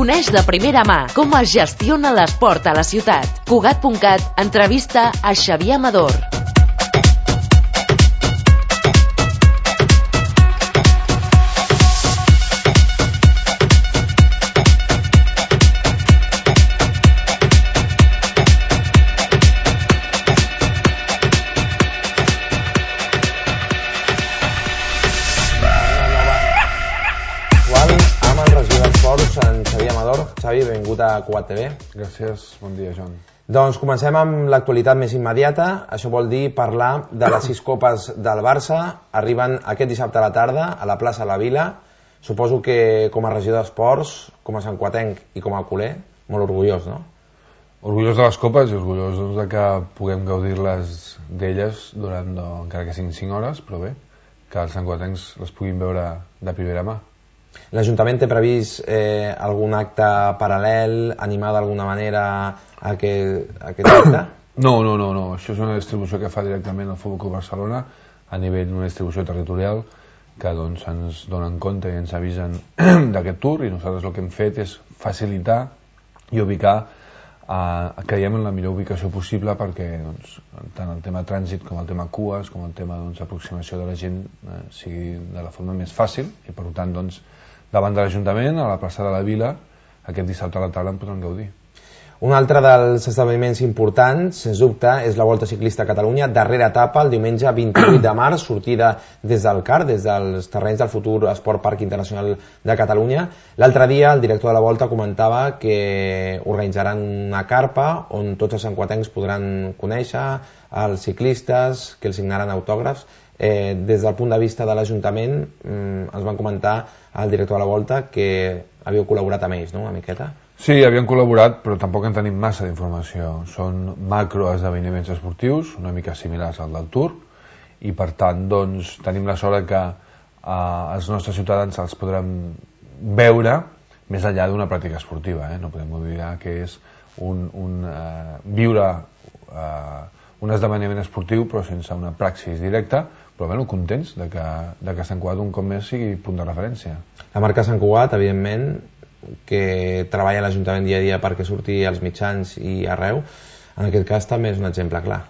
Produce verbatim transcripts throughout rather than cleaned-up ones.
Coneix de primera mà com es gestiona l'esport a la ciutat. Cugat punt cat entrevista a Xavier Amador. Xavi, benvingut a Cugat T V. Gràcies, bon dia, Joan. Doncs comencem amb l'actualitat més immediata. Això vol dir parlar de les sis copes del Barça. Arriben aquest dissabte a la tarda a la plaça de la Vila. Suposo que com a regidor d'Esports, com a santcuatenc i com a culer, molt orgullós, no? Orgullós de les copes i orgullós doncs, de que puguem gaudir-les d'elles durant, no, encara que siguin cinc hores, però bé, que els santcuatencs les puguin veure de primera mà. L'Ajuntament té previst eh, algun acte paral·lel, animar d'alguna manera a aquest, a aquest acte? No, no, no, no. Això és una distribució que fa directament el Futbol Club Barcelona a nivell d'una distribució territorial que doncs, ens donen compte i ens avisen d'aquest tour, i nosaltres el que hem fet és facilitar i ubicar, eh, creiem en la millor ubicació possible perquè doncs, tant el tema trànsit com el tema cues com el tema doncs, aproximació de la gent eh, sigui de la forma més fàcil, i per tant doncs, davant de l'Ajuntament, a la plaça de la Vila, aquest dissabte a la tarda en podran gaudir. Un altre dels esdeveniments importants, sens dubte, és la Volta Ciclista a Catalunya, darrera etapa, el diumenge vint-i-vuit de març, sortida des del C A R, des dels terrenys del futur Esport Parc Internacional de Catalunya. L'altre dia el director de la Volta comentava que organitzaran una carpa on tots els santcuatencs podran conèixer els ciclistes, que els signaran autògrafs. Eh, des del punt de vista de l'Ajuntament, mm, ens van comentar el director de la Volta que havíeu col·laborat amb ells, no?, una miqueta. Sí, havien col·laborat, però tampoc en tenim massa d'informació. Són macroesdeveniments esportius, una mica similars al del Tour, i per tant doncs, tenim la sort que eh, els nostres ciutadans els podran veure més enllà d'una pràctica esportiva. Eh? No podem oblidar que és un, un, eh, viure eh, un esdeveniment esportiu però sense una praxis directa, però bueno, contents de que, de que Sant Cugat un cop més sigui punt de referència. La marca Sant Cugat, evidentment, que treballa a l'Ajuntament dia a dia perquè surti als mitjans i arreu, en aquest cas també és un exemple clar.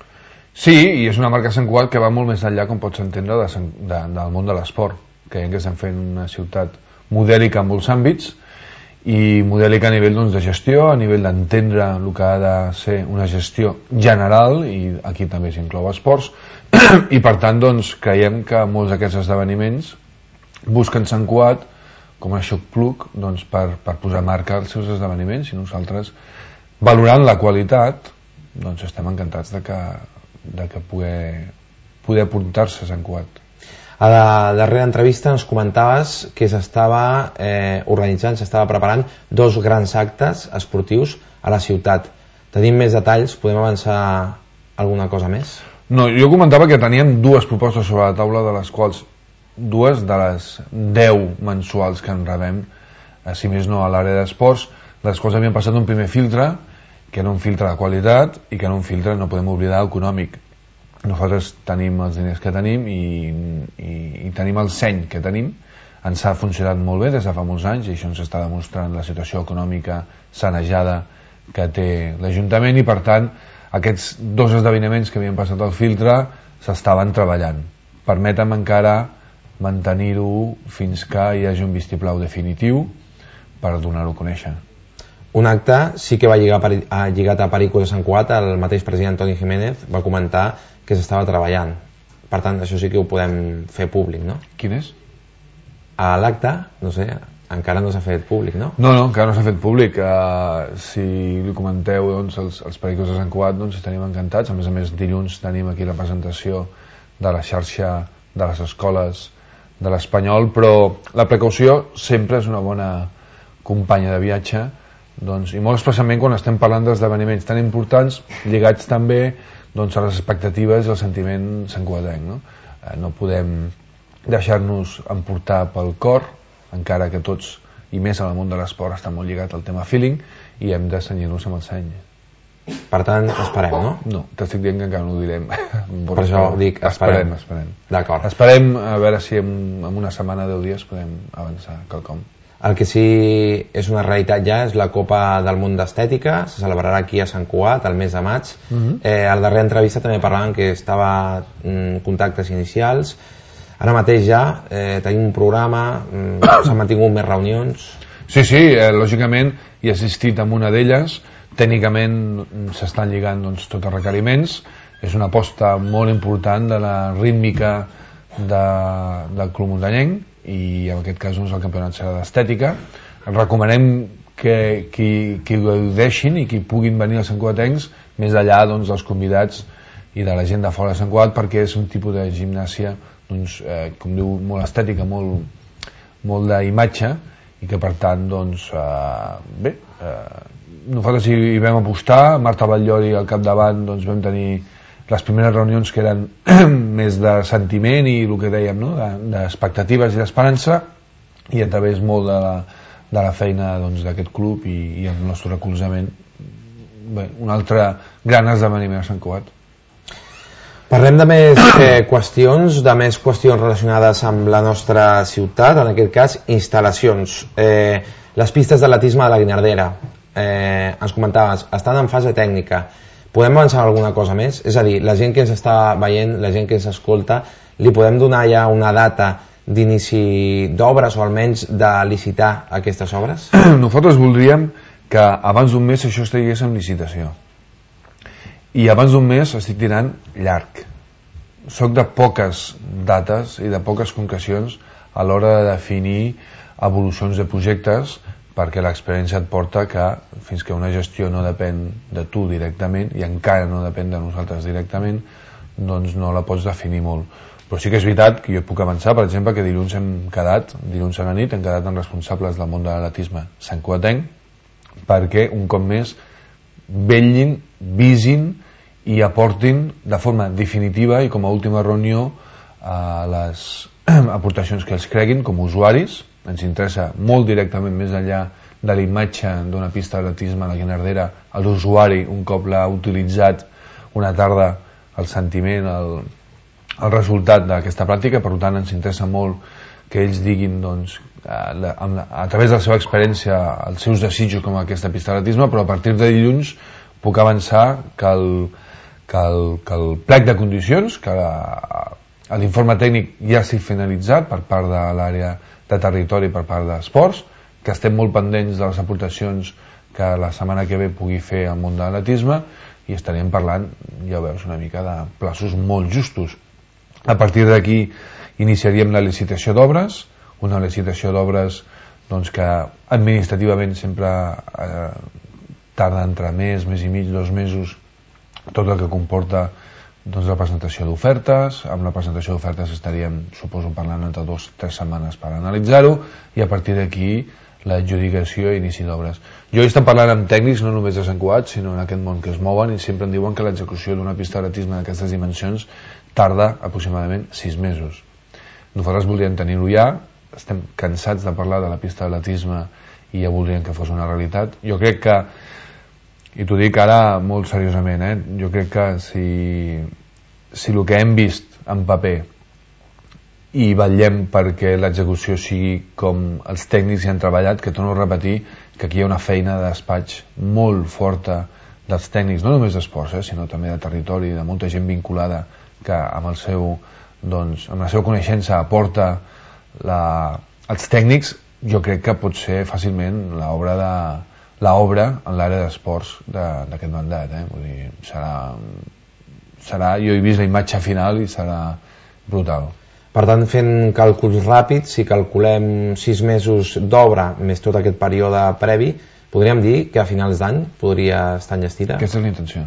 Sí, i és una marca Sant Cugat que va molt més enllà, com pots entendre, de, de, del món de l'esport. Creiem que estem fent una ciutat modèlica en molts àmbits, i modèlica a nivell doncs, de gestió, a nivell d'entendre el que ha de ser una gestió general, i aquí també s'inclou esports, i per tant doncs, creiem que molts d'aquests esdeveniments busquen Sant Cugat com a xoc-plug doncs, per, per posar marca als seus esdeveniments, i nosaltres, valorant la qualitat, doncs estem encantats de que, de que poder, poder apuntar-se a Sant Cugat. A la darrera entrevista ens comentaves que s'estava eh, organitzant, s'estava preparant dos grans actes esportius a la ciutat. Tenim més detalls? Podem avançar alguna cosa més? No, jo comentava que teníem dues propostes sobre la taula, de les quals dues de les deu mensuals que en rebem, eh, si més no a l'àrea d'esports, de les quals havíem passat un primer filtre, que era un filtre de qualitat, i que era un filtre, no podem oblidar, econòmic. Nosaltres tenim els diners que tenim i, i, i tenim el seny que tenim. Ens ha funcionat molt bé des de fa molts anys, i això ens està demostrant la situació econòmica sanejada que té l'Ajuntament, i per tant aquests dos esdeveniments que havien passat al filtre s'estaven treballant. Permetem encara mantenir-ho fins que hi hagi un vistiplau definitiu per donar-ho a conèixer. Un acte sí que va lligar, lligat a Pericos de Sant Cugat. El mateix president Toni Jiménez va comentar que s'estava treballant. Per tant, això sí que ho podem fer públic, no? Quin és? A l'acte, no sé, encara no s'ha fet públic, no? No, no, encara no s'ha fet públic. Uh, si li comenteu doncs, els, els Pericos de Sant Cugat, doncs estaríem encantats. A més a més, dilluns tenim aquí la presentació de la xarxa de les escoles de l'Espanyol, però la precaució sempre és una bona companya de viatge, doncs, i molt especialment quan estem parlant d'esdeveniments tan importants lligats també doncs, a les expectatives i al sentiment santcugatenc, no? Eh, no podem deixar-nos emportar pel cor, encara que tots, i més en el món de l'esport, està molt lligat al tema feeling, i hem de senyir-nos amb el seny. Per tant, esperem, no? No, t'estic dient que encara no ho direm. Per això dic, esperem. Esperem, esperem. D'acord. Esperem a veure si en, en una setmana, deu dies, podem avançar quelcom. El que sí és una realitat ja és la Copa del Món d'Estètica, se celebrarà aquí a Sant Cugat el mes de maig. Uh-huh. eh, a la darrera entrevista també parlaven que estava en contactes inicials. Ara mateix ja eh, tenim un programa, mm, s'han mantingut més reunions. Sí, sí, eh, lògicament he assistit a una d'elles. Tècnicament s'estan lligant doncs, tots els requeriments. És una aposta molt important de la rítmica de, del Club Muntanyenc, i en aquest cas doncs, el campionat serà d'estètica. Recomanem que qui, qui ho deixin i qui puguin venir als santcugatencs, més enllà doncs, dels convidats i de la gent de fora de Sant Cugat, perquè és un tipus de gimnàsia doncs, eh, com diu, molt estètica, molt, molt d'imatge, i que per tant doncs, eh, bé, eh, nosaltres hi, hi vam apostar. Marta Batllori al capdavant, doncs, vam tenir les primeres reunions que eren més de sentiment i el que dèiem, no? d'expectatives i d'esperança, i a través molt de la, de la feina d'aquest doncs, club i, i el nostre recolzament. Bé, un altre gran esdeveniment a Sant Cugat. Parlem de més eh, qüestions, de més qüestions relacionades amb la nostra ciutat, en aquest cas instal·lacions. Eh, les pistes d'atletisme de la Guinardera, eh, ens comentaves, estan en fase tècnica. Podem avançar alguna cosa més? És a dir, la gent que ens està veient, la gent que ens escolta, li podem donar ja una data d'inici d'obres o almenys de licitar aquestes obres? Nosaltres voldríem que abans d'un mes això estigués en licitació. I abans d'un mes estic tirant llarg. Soc de poques dates i de poques concrecions a l'hora de definir evolucions de projectes, perquè l'experiència et porta que fins que una gestió no depèn de tu directament i encara no depèn de nosaltres directament, doncs no la pots definir molt. Però sí que és veritat que jo puc avançar, per exemple, que dilluns hem quedat, dilluns a la nit hem quedat amb responsables del món de l'atletisme santcugatenc, perquè un cop més vetllin, visin i aportin de forma definitiva i com a última reunió a les aportacions que els creguin com a usuaris. Ens interessa molt directament, més enllà de la imatge d'una pista d'atletisme a la Guinardera, a l'usuari, un cop l'ha utilitzat una tarda, el sentiment, el, el resultat d'aquesta pràctica. Per tant, ens interessa molt que ells diguin doncs, a, a, a través de la seva experiència els seus desitjos com aquesta pista d'atletisme, però a partir de dilluns puc avançar que el, que el, que el plec de condicions, que l'informe tècnic ja estic finalitzat per part de l'àrea de territori per part d'esports, que estem molt pendents de les aportacions que la setmana que ve pugui fer al món de l'atletisme, i estaríem parlant, ja veus, una mica de plaços molt justos. A partir d'aquí iniciaríem la licitació d'obres, una licitació d'obres doncs, que administrativament sempre eh, tarda entre mes, mes i mig, dos mesos, tot el que comporta doncs, la presentació d'ofertes. Amb la presentació d'ofertes estaríem, suposo, parlant entre dues o tres setmanes per analitzar-ho, i a partir d'aquí l'adjudicació i inici d'obres. Jo he estat parlant amb tècnics, no només de Sant Cugat, sinó en aquest món que es mouen, i sempre em diuen que l'execució d'una pista d'atletisme d'aquestes dimensions tarda aproximadament sis mesos. Nosaltres voldríem tenir-ho ja, estem cansats de parlar de la pista d'atletisme i ja voldríem que fos una realitat. Jo crec que, i t'ho dic ara molt seriosament, eh? jo crec que si, si el que hem vist en paper i vetllem perquè l'execució sigui com els tècnics hi han treballat, que torno a repetir que aquí hi ha una feina de despatx molt forta dels tècnics, no només d'esports, eh, sinó també de territori, de molta gent vinculada que amb, el seu, doncs, amb la seva coneixença aporta la, els tècnics. Jo crec que pot ser fàcilment l'obra de l'obra en l'àrea d'esports d'aquest mandat, eh? Vull dir, serà, serà, jo he vist la imatge final i serà brutal. Per tant, fent càlculs ràpids, si calculem sis mesos d'obra més tot aquest període previ, podríem dir que a finals d'any podria estar enllestida? Aquesta és la intenció.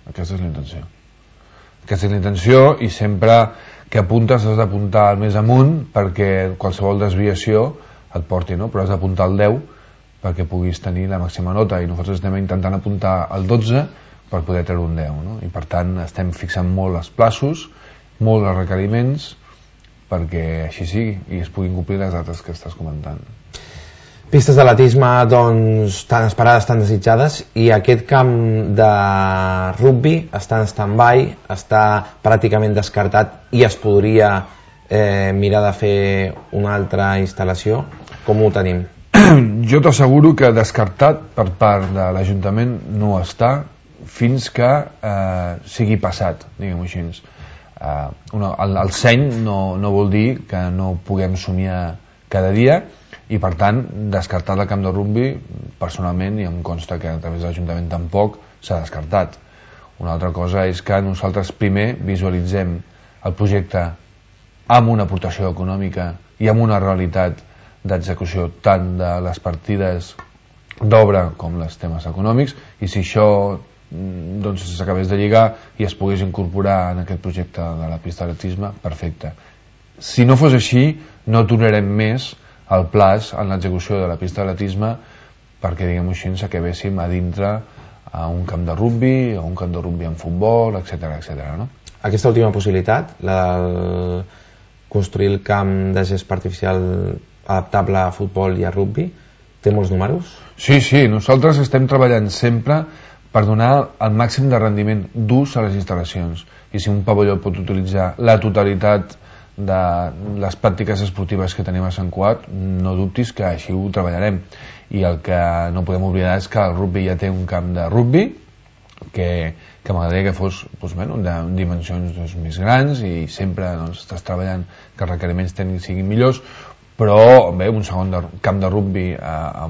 Aquesta és la intenció. Aquesta és la intenció, i sempre que apuntes has d'apuntar al més amunt perquè qualsevol desviació et porti, no? Però has d'apuntar al deu perquè puguis tenir la màxima nota, i nosaltres estem intentant apuntar al dotze per poder treure un deu, no? I per tant estem fixant molt els plaços, molt els requeriments, perquè així sigui i es puguin complir les dates que estàs comentant. Pistes d'atletisme, doncs, tan esperades, tan desitjades, i aquest camp de rugby està en stand-by, està pràcticament descartat i es podria eh, mirar de fer una altra instal·lació? com ho tenim? Jo t'asseguro que descartat per part de l'Ajuntament no està fins que eh, sigui passat, diguem-ho així. Eh, una, el, el seny no, no vol dir que no puguem somiar cada dia, i per tant descartat el camp de rugbi personalment, i em consta que a través de l'Ajuntament tampoc s'ha descartat. Una altra cosa és que nosaltres primer visualitzem el projecte amb una aportació econòmica i amb una realitat d'execució tant de les partides d'obra com els temes econòmics, i si això doncs s'acabés de lligar i es pogués incorporar en aquest projecte de la pista d'atletisme, perfecte. Si no fos així, no aturarem més el plaç en l'execució de la pista d'atletisme perquè, diguem-ho així, ens acabéssim a dintre a un camp de rugbi, a un camp de rugbi en futbol, etcètera, etcètera, no? Aquesta última possibilitat, la de construir el camp de gest artificial adaptable a futbol i a rugbi, té molts números? Sí, sí, nosaltres estem treballant sempre per donar el màxim de rendiment d'ús a les instal·lacions, i si un pavelló pot utilitzar la totalitat de les pràctiques esportives que tenim a Sant Cugat, no dubtis que així ho treballarem. I el que no podem oblidar és que el rugbi ja té un camp de rugbi que, que m'agradaria que fos doncs, bueno, de dimensions doncs, més grans, i sempre doncs, estàs treballant que els requeriments tècnics siguin millors, però bé, un segon de, camp de rugbi a, a,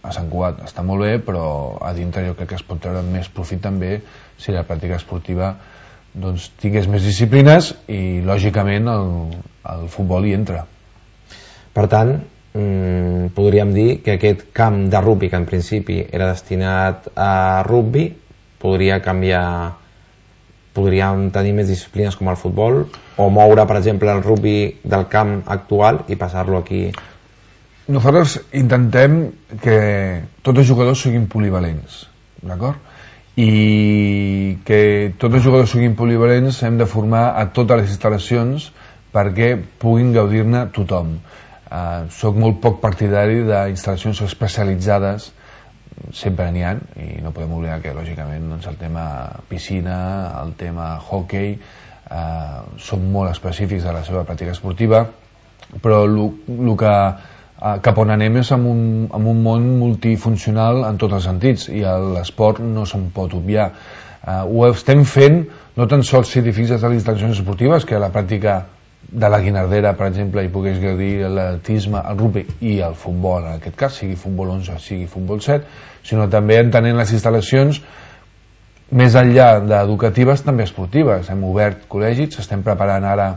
a Sant Cugat està molt bé, però a dintre jo crec que es pot treure més profit també si la pràctica esportiva doncs, tingués més disciplines, i lògicament el, el futbol hi entra. Per tant, mmm, podríem dir que aquest camp de rugbi, que en principi era destinat a rugbi, podria canviar, podríem tenir més disciplines com el futbol, o moure, per exemple, el rugbi del camp actual i passar-lo aquí. Nosaltres intentem que tots els jugadors siguin polivalents, d'acord? I que tots els jugadors siguin polivalents hem de formar a totes les instal·lacions perquè puguin gaudir-ne tothom. Uh, soc molt poc partidari d'instal·lacions especialitzades, sempre n'hi ha, i no podem oblidar que lògicament doncs, el tema piscina, el tema hockey eh, són molt específics de la seva pràctica esportiva, però el que eh, cap on anem és amb un, amb un món multifuncional en tots els sentits, i l'esport no se'n pot obviar. Eh, ho estem fent no tan sols si fixes a les instal·lacions esportives, que la pràctica de la Guinardera, per exemple, hi pogués gaudir l'atletisme, el rugbi i el futbol, en aquest cas, sigui futbol onze, sigui futbol set, sinó també entenent les instal·lacions més enllà d'educatives, també esportives. Hem obert col·legis, estem preparant ara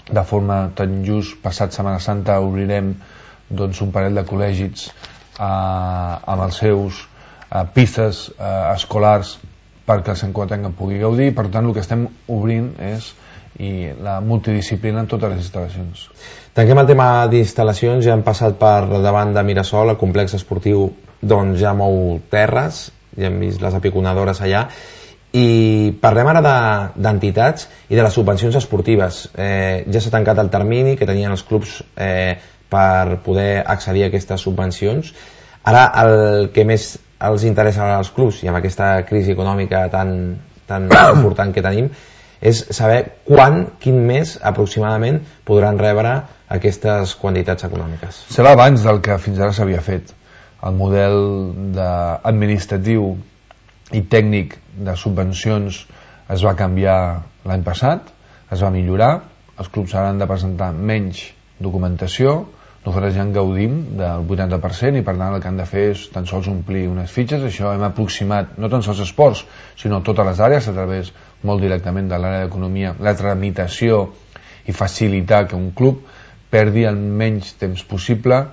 de forma tan just, passat Setmana Santa obrirem doncs, un parell de col·legis eh, amb els seus eh, pistes eh, escolars perquè el Sant Cugatenc en pugui gaudir. Per tant, el que estem obrint és i la multidisciplina en totes les instal·lacions. Tanquem el tema d'instal·lacions. Ja hem passat per davant de Mirasol, el complex esportiu doncs ja mou terres, ja hem vist les apiconadores allà, i parlem ara d'entitats i de les subvencions esportives. Eh, ja s'ha tancat el termini que tenien els clubs eh, per poder accedir a aquestes subvencions. Ara el que més els interessa als clubs, i amb aquesta crisi econòmica tan, tan important que tenim, és saber quan, quin mes aproximadament podran rebre aquestes quantitats econòmiques. Serà abans del que fins ara s'havia fet. El model administratiu i tècnic de subvencions es va canviar l'any passat, es va millorar, els clubs ara han de presentar menys documentació, nosaltres ja en gaudim del vuitanta per cent, i per tant el que han de fer és tan sols omplir unes fitxes. Això hem aproximat no tan sols esports, sinó totes les àrees, a través molt directament de l'àrea d'economia, la tramitació i facilitar que un club perdi el menys temps possible,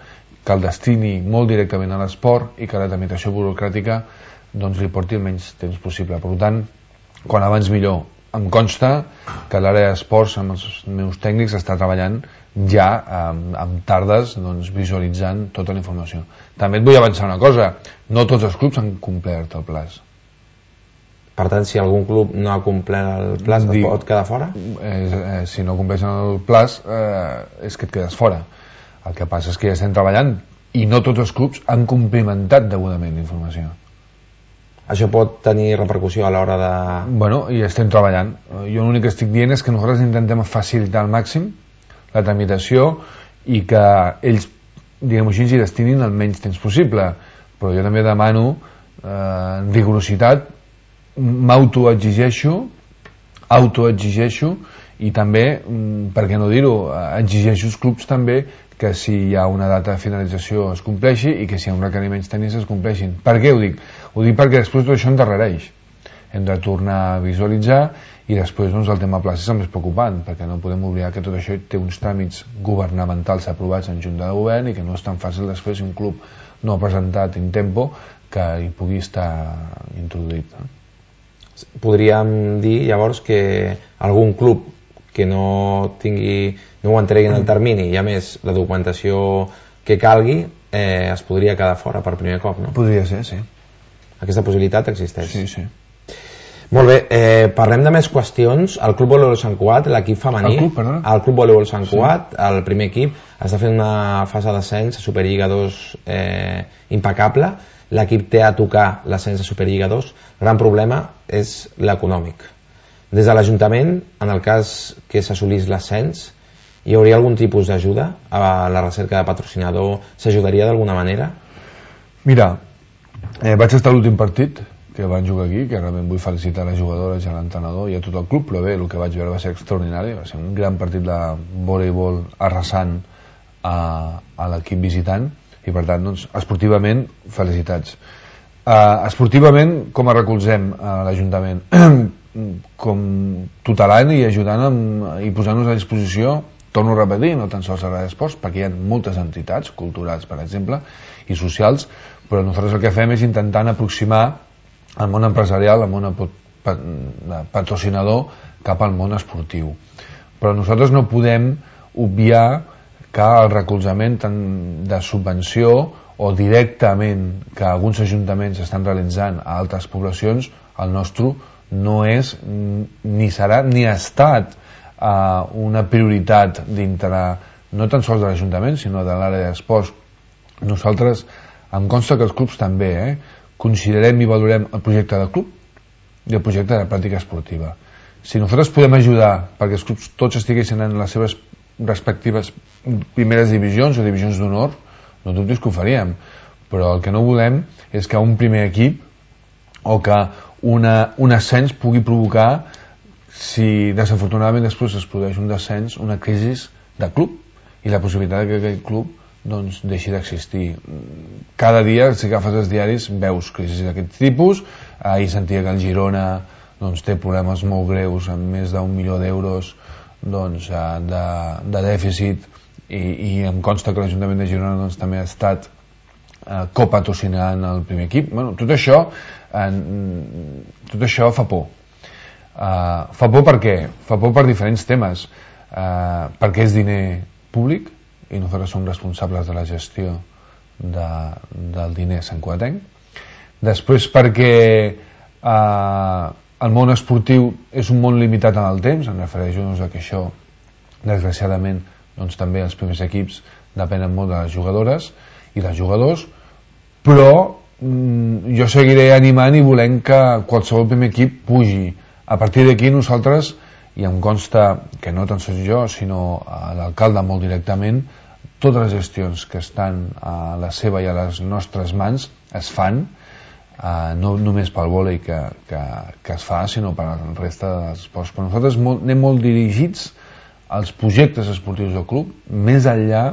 que el destini molt directament a l'esport i que la tramitació burocràtica doncs, li porti el menys temps possible. Per tant, quan abans millor. Em consta que l'àrea d'esports amb els meus tècnics està treballant ja amb, amb tardes doncs, visualitzant tota la informació. També et vull avançar una cosa, no tots els clubs han complert el plaç. Per tant, si algun club no ha complert el plaç, Dic, pot quedar fora? Eh, eh, si no compleix el plaç eh, és que et quedes fora. El que passa és que ja estem treballant i no tots els clubs han complimentat degudament la informació. Això pot tenir repercussió a l'hora de... Bueno, i estem treballant. Jo l'únic que estic dient és que nosaltres intentem facilitar al màxim la tramitació i que ells diguem-ho així, hi destinin el menys temps possible, però jo també demano eh, rigorositat, m'autoexigeixo autoexigeixo i també, per què no dir-ho, exigeixo als clubs també que si hi ha una data de finalització es compleixi i que si hi ha uns requeriments tècnics es compleixin. Per què ho dic? Ho dic perquè després tot això endarrereix. Hem de tornar a visualitzar i després doncs, el tema places és el més preocupant, perquè no podem oblidar que tot això té uns tràmits governamentals aprovats en junta de govern i que no és tan fàcil després un club no ha presentat in tempo que hi pugui estar introduït. Podríem dir llavors que algun club que no tingui, no ho entregui en el termini i a més la documentació que calgui eh, es podria quedar fora per primer cop, no? Podria ser, sí. Aquesta possibilitat existeix. Sí, sí. Molt bé, eh, parlem de més qüestions. El Club Voleibol Sant Cugat, l'equip femení, el club, perdona. el Club Voleibol Sant Cugat, sí. El primer equip, està fent una fase d'ascens a Superliga dos eh, impecable. L'equip té a tocar l'ascens a Superliga dos. El gran problema és l'econòmic. Des de l'Ajuntament, en el cas que s'assolís l'ascens, hi hauria algun tipus d'ajuda a la recerca de patrocinador? S'ajudaria d'alguna manera? Mira, eh, vaig estar a l'últim partit que van jugar aquí, que realment vull felicitar a les jugadores i a l'entrenador i a tot el club, però bé, el que vaig veure va ser extraordinari, va ser un gran partit de voleibol arrasant a, a l'equip visitant i per tant, doncs, esportivament, felicitats. Uh, esportivament, com a recolzem a l'Ajuntament? Com tutelant i ajudant amb, i posant-nos a disposició, torno a repetir, no tan sols a l'esports, perquè hi ha moltes entitats culturals, per exemple, i socials, però nosaltres el que fem és intentant aproximar el món empresarial, el món patrocinador cap al món esportiu. Però nosaltres no podem obviar que el recolzament tant de subvenció o directament que alguns ajuntaments estan realitzant a altres poblacions, el nostre no és, ni serà, ni ha estat uh, una prioritat dintre, no tan sols de l'Ajuntament, sinó de l'àrea d'esports. Nosaltres, em consta que els clubs també, eh, considerem i valorem el projecte del club i el projecte de pràctica esportiva. Si nosaltres podem ajudar perquè els clubs tots estiguessin en les seves respectives primeres divisions o divisions d'honor, no dubtis que ho faríem, però el que no volem és que un primer equip o que una, un ascens pugui provocar, si desafortunadament després es produeix un descens, una crisi de club i la possibilitat que aquell club doncs, deixi d'existir. Cada dia, si agafes els diaris, veus crisis d'aquest tipus. Ahir sentia que el Girona doncs, té problemes molt greus amb més d'un milió d'euros doncs, de, de dèficit i, i em consta que l'Ajuntament de Girona doncs, també ha estat eh, copatrocinant el primer equip. Bueno, tot això eh, tot això fa por. Uh, fa por per què? Fa por per diferents temes. Uh, perquè és diner públic i nosaltres som responsables de la gestió de, del diner santcugatenc. Després perquè uh, el món esportiu és un món limitat en el temps, em refereixo doncs, a que això desgraciadament doncs, també els primers equips depenen molt de les jugadores i dels jugadors, però mm, jo seguiré animant i volent que qualsevol primer equip pugi. A partir d'aquí nosaltres, i em consta que no tan sols jo, sinó l'alcalde molt directament, totes les gestions que estan a la seva i a les nostres mans es fan, eh, no només pel vòlei que, que, que es fa, sinó per la resta dels esports. Però nosaltres molt, anem molt dirigits als projectes esportius del club, més enllà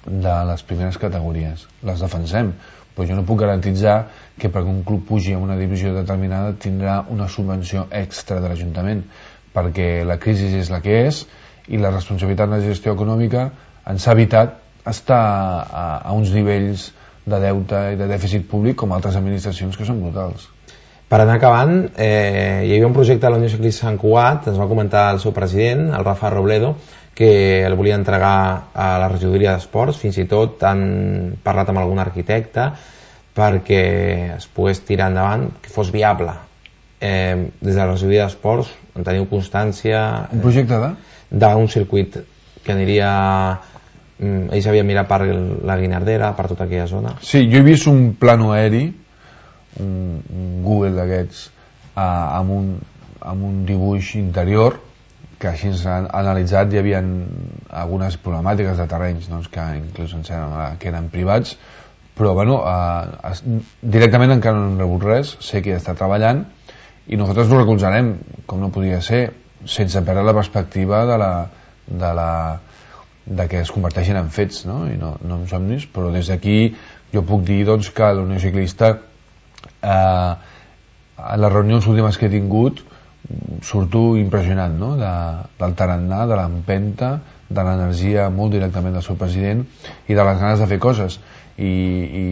de les primeres categories. Les defensem, però jo no puc garantitzar que perquè un club pugi a una divisió determinada tindrà una subvenció extra de l'Ajuntament, perquè la crisi és la que és i la responsabilitat de la gestió econòmica ens ha evitat estar a, a uns nivells de deute i de dèficit públic com altres administracions que són brutals. Per anar acabant, eh, hi havia un projecte de la Unió Ciclista Sant Cugat, ens va comentar el seu president, el Rafa Robledo, que el volia entregar a la regidoria d'esports, fins i tot han parlat amb algun arquitecte perquè es pogués tirar endavant, que fos viable. Eh, des de la regidoria d'esports en teniu constància... Un projecte de? D'un circuit que aniria... ells havien mirat per la Guinardera, per tota aquella zona. Sí, jo he vist un plano aeri, un, un Google d'aquests, eh, amb, un, amb un dibuix interior que així ens han analitzat hi havia algunes problemàtiques de terrenys doncs, que inclús ens eren, que eren privats, però bueno, eh, es, directament encara no hem rebut res, sé que està treballant i nosaltres ho recolzarem, com no podia ser, sense perdre la perspectiva de, la, de, la, de que es converteixin en fets, no? I no, no en somnis, però des d'aquí jo puc dir doncs, que la Unió Ciclista eh, en les reunions últimes que he tingut surto impressionant, no? de, del tarannà, de l'empenta, de l'energia molt directament del seu president i de les ganes de fer coses i, i,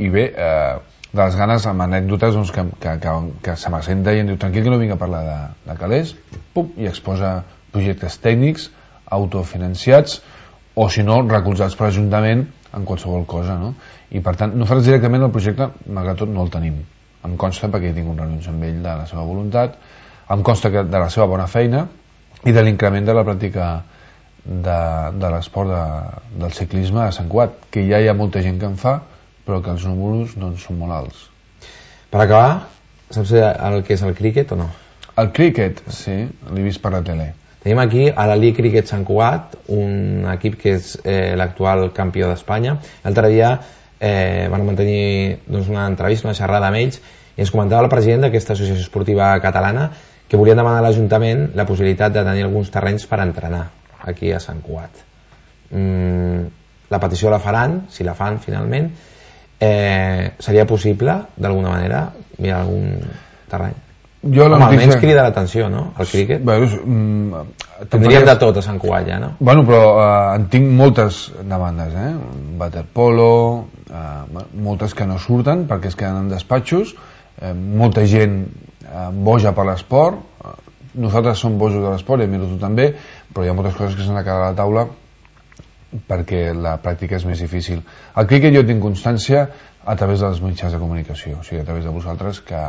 i bé eh, de les ganes amb anècdotes doncs, que, que, que, que se m'assenta i em diu tranquil que no vinc a parlar de, de calés, pum, i exposa projectes tècnics autofinanciats o si no recolzats per l'Ajuntament en qualsevol cosa, no? I per tant nosaltres directament el projecte malgrat tot no el tenim, em consta perquè he tingut reunions amb ell de la seva voluntat, em consta que de la seva bona feina i de l'increment de la pràctica de, de l'esport de, del ciclisme a Sant Cugat, que ja hi ha molta gent que en fa però que els números doncs, són molt alts. Per acabar, saps el que és el críquet o no? El críquet, sí, l'he vist per la tele. Tenim aquí a l'Ali Cricket Sant Cugat, un equip que és eh, l'actual campió d'Espanya. L'altre dia eh, van mantenir doncs, una entrevista, una xerrada amb ells, i ens comentava el president d'aquesta associació esportiva catalana que volien demanar a l'Ajuntament la possibilitat de tenir alguns terrenys per entrenar aquí a Sant Cugat. Mm, la petició la faran, si la fan finalment. Eh, seria possible, d'alguna manera, mirar algun terreny? Jo Home, almenys crida l'atenció, no?, el críquet. Bueno, mm, tindríem de tot a Sant Cugat ja, no? Bueno, però eh, en tinc moltes demandes, eh? Waterpolo, eh, moltes que no surten perquè es queden en despatxos, eh, molta gent eh, boja per l'esport, eh, nosaltres som bojos de l'esport i a mi tu també, però hi ha moltes coses que s'han de quedar a la taula perquè la pràctica és més difícil. El críquet jo tinc constància a través dels mitjans de comunicació, o sigui, a través de vosaltres que,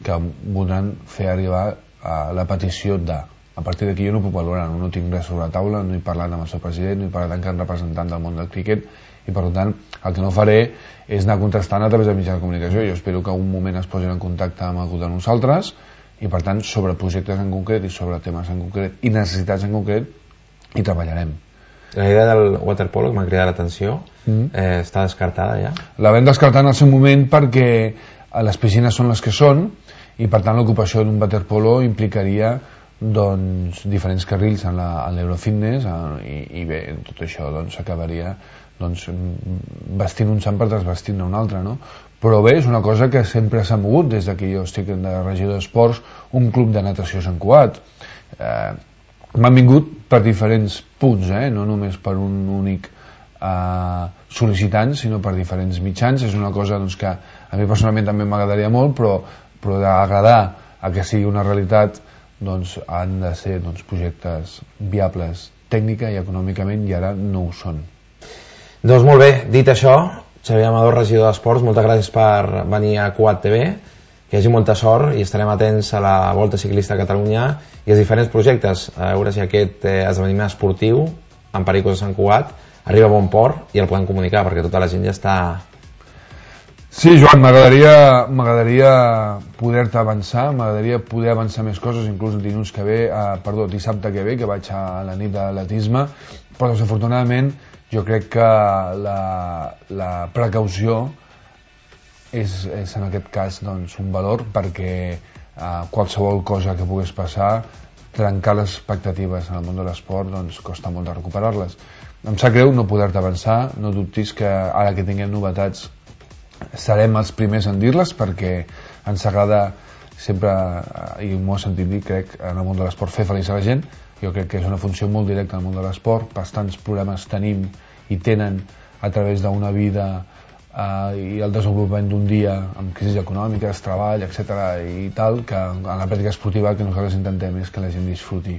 que voldran fer arribar a la petició de. A partir d'aquí jo no puc valorar, no, no tinc res sobre la taula, no he parlat amb el seu president, no he parlat amb cap representant del món del críquet i per tant el que no faré és anar contrastant a través de mitjans de comunicació. Jo espero que un moment es posin en contacte amb algú de nosaltres i per tant sobre projectes en concret i sobre temes en concret i necessitats en concret hi treballarem. La idea del waterpolo, que m'ha cridat l'atenció, mm. eh, està descartada ja? La vam descartar en el seu moment perquè les piscines són les que són i per tant l'ocupació d'un waterpolo implicaria doncs, diferents carrils en l'Eurofitness i, i bé, tot això doncs, acabaria doncs, vestint un sant per desvestint un altre, no? Però bé, és una cosa que sempre s'ha mogut des que jo estic de regidor d'esports, un club de natació a Sant Cugat. Eh, m'han vingut per diferents punts, eh? No només per un únic eh, sol·licitant, sinó per diferents mitjans. És una cosa doncs, que a mi personalment també m'agradaria molt, però, però d'agradar a que sigui una realitat doncs, han de ser doncs, projectes viables tècnica i econòmicament i ara no ho són. Doncs molt bé, dit això, Xavier Amador, regidor d'Esports, moltes gràcies per venir a Cugat T V, que hi hagi molta sort i estarem atents a la Volta Ciclista a Catalunya i als diferents projectes, a veure si aquest eh, esdeveniment esportiu en Pericos de Sant Cugat arriba a bon port i el podem comunicar perquè tota la gent ja està... Sí, Joan, m'agradaria m'agradaria poder-te avançar, m'agradaria poder avançar més coses, inclús el dilluns que ve, eh, perdó, dissabte que ve, que vaig a la nit de l'atletisme, però desafortunadament jo crec que la, la precaució és, és en aquest cas doncs, un valor perquè eh, qualsevol cosa que pogués passar, trencar les expectatives en el món de l'esport doncs, costa molt de recuperar-les. Em sap greu no poder-te avançar, no dubtis que ara que tinguem novetats serem els primers en dir-les perquè ens agrada sempre, i m'ho he sentit dir, crec, en el món de l'esport fer feliç a la gent. Jo crec que és una funció molt directa al món de l'esport, bastants problemes tenim i tenen a través d'una vida eh, i el desenvolupament d'un dia amb crisis econòmiques, treball, etcètera i tal, que en la pràctica esportiva que nosaltres intentem és que la gent disfruti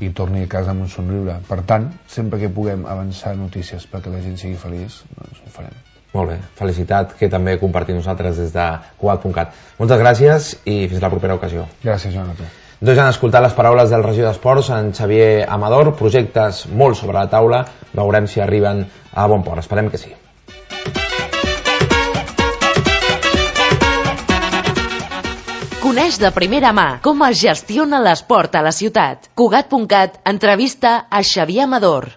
i torni a casa amb un somriure. Per tant, sempre que puguem avançar notícies perquè la gent sigui feliç, doncs ho farem. Molt bé, felicitat que també compartim nosaltres des de Cugat punt cat. Moltes gràcies i fins la propera ocasió. Gràcies, Joan, a tu. Doncs han escoltat les paraules del regidor d'Esports, en Xavier Amador, projectes molt sobre la taula, veurem si arriben a bon port, esperem que sí. Coneix de primera mà com es gestiona l'esport a la ciutat. Cugat punt cat entrevista a Xavier Amador.